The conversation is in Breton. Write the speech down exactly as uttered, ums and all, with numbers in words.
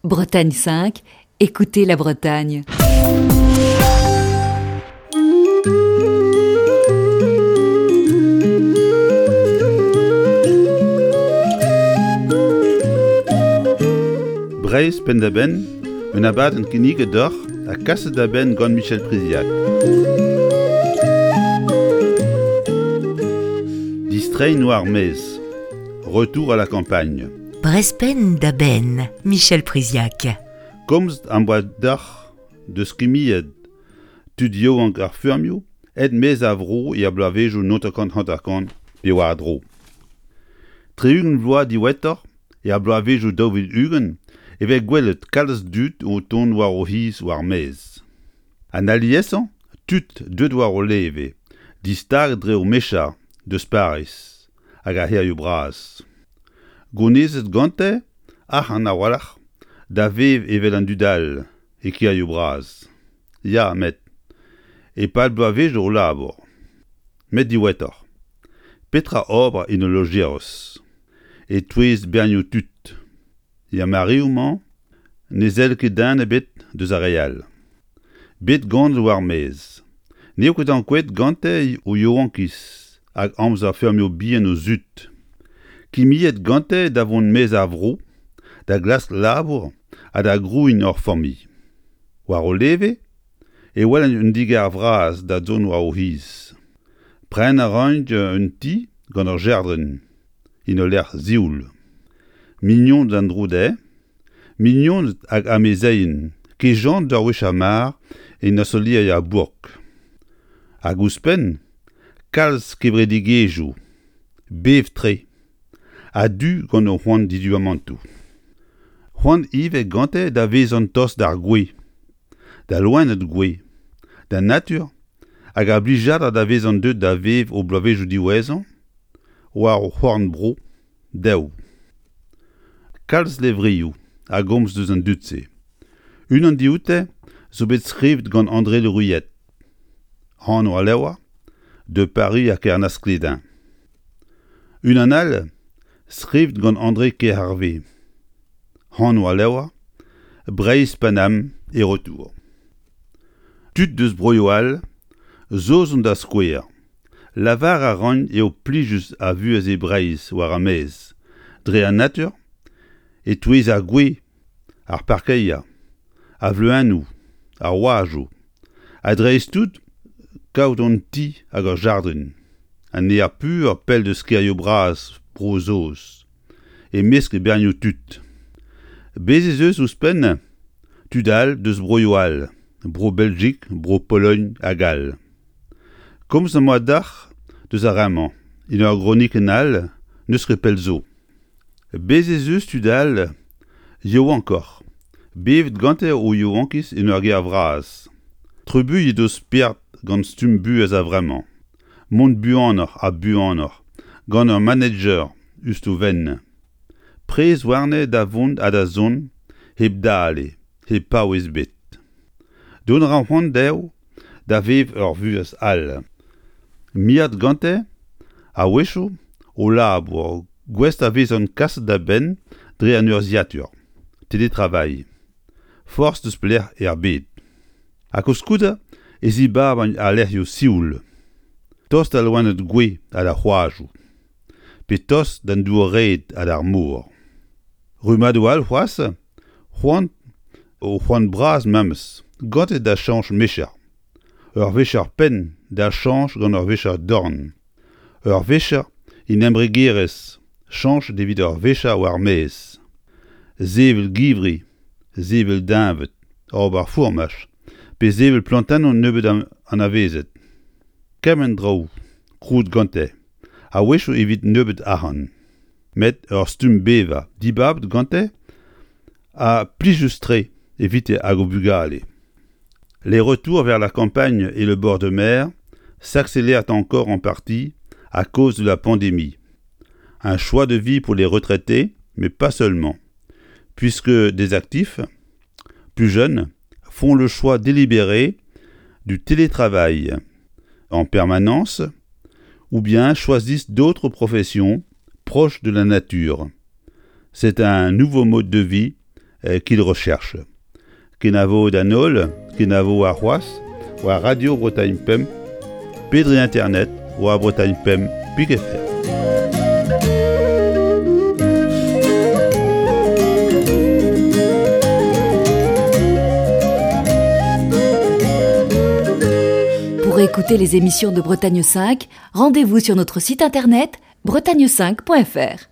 Bretagne cinq, écoutez la Bretagne. Breizh penn-da-benn, un abadenn kinniget deoc'h ha kaset da benn gant Michel Priziac. Distreiñ war ar maez. Retour à la campagne. Breizh penn-da-benn, Michel Priziac. Komzet am boa deoc'h deus kimiad tud yaouank ar feurmioù aet maez a vro er bloavezhioù naontek hanter-kant pe war-dro. Tri-ugent vloaz diwezhatoc'h, er bloavezhioù daou vil ugent, e vez gwelet kalz dud o tont war o c'hiz war maez. An aliesañ, tud deuet war o leve, distaget dre o mecher deus Pariz hag ar c'hêrioù bras. Gounezet gante arc'hant a-walc'h da vev evel an dud all e kêrioù bras. Ya, met e-pad bloavezhioù o labour. Met diwezhatoc'h, petra ober en ul lojeroz, e-touez bernioù tud? Er mareoù-mañ ne sell ket den ebet deus ar re all. Bet ganet war maez. N'eo ket ankouaet gante o yaouankiz hag amzer feurmioù bihan o zud. Kimiad gante da vont maez ar vro, da glask labour ha da grouiñ ur familh. War o leve e welent un digar vras da zont war o c'hiz. Prenañ a raint un ti gant ur jardrin, en ul lec'h sioul. Mignoned en-dro dezhe, mignoned hag amezeien, kejañ ur wech ar mar en ostaleri ar bourk. Hag ouzhpenn, kalz kevredigezhioù, bev-tre, a-du gant o c'hoant diduamantoù. C'hoant ivez gante da vezañ tost d'ar gwez, da loened gouez, d'an natur hag ar blijadur da vezañ deuet da vev o bloavezhioù diwezhañ war o c'horn-bro dezho. Kalz levrioù a gomz deus an dud-se. Unan dioute zo bet skrivet gant André Le Ruyet. Anv al levr, De Paris à Kernasclédin. Unan all, skrivet gant André Kerhervé. Anv al levr, Breizh Paname et retour. Tud deus broioù all, Saozon da skouer. Lavar a ran eo plijus ar vuhez e Breizh war ar maez, dre an natur, e-touez ar gwez, ar parkeier, ar vleuennoù, ar oajoù, ha dreist-tout kaout un ti hag ur jardrin, an aer pur pell deus kêrioù bras Bro-Saoz, e-mesk bernioù tud. Bez' ez eus ouzhpenn tud all deus broioù all, Bro-Beljik, Bro-Pologn hag all. Komz am boa deoc'h deus ar re-mañ, en ur gronikenn all n'eus ket pell zo. Bez' ez eus tud all yaouankoc'h, bevet gante o yaouankiz en ur gêr vras. Trubuilhet o spered gant stumm buhez a-vremañ. Mont buanoc'h ha buanoc'h gant ur manager eus o vent. Prez warne da vont ha da zont hep dale, hep paouez ebet. Dont a ra c'hoant dezho da vev ur vuhez all. Miret gante, a-wechoù, o labour gouest da vezañ kaset da benn dre an urzhiatur, télétravail. Forzh deus pelec'h er bed. Ha koulskoude e zibabont al lec'hioù sioul. Tost d'al loened gouez ha d'ar c'hoajoù. Pe tost d'an dour-red ha d'ar mor. Rummadoù all c'hoazh, c'hoant o c'hoant bras memes, gante da chañch mecher. Ur vecher penn da chañch gant ur vecher dorn. Ur vecher en embregerezh chañchet evit ur vecher war maez. Sevel givri, sevel deñved, ober fourmaj, pe sevel plantennoù nebeut anavezet. Kement draoù krouet gante, a-wechoù evit nebeut arc'hant. Met ur stumm bevañ dibabet gante ha plijus-tre evite hag o bugale. Les retours vers la campagne et le bord de mer s'accélèrent encore en partie à cause de la pandémie. Un choix de vie pour les retraités, mais pas seulement, puisque des actifs, plus jeunes, font le choix délibéré du télétravail en permanence ou bien choisissent d'autres professions proches de la nature. C'est un nouveau mode de vie qu'il recherche. Kenavo d'an holl, kenavo ar c'hoazh, war Radio Bretagne Pemp, pe dre internet, war Bretagne Pemp pik F R. Pour écouter les émissions de Bretagne cinq, rendez-vous sur notre site internet bretagne cinq point F R.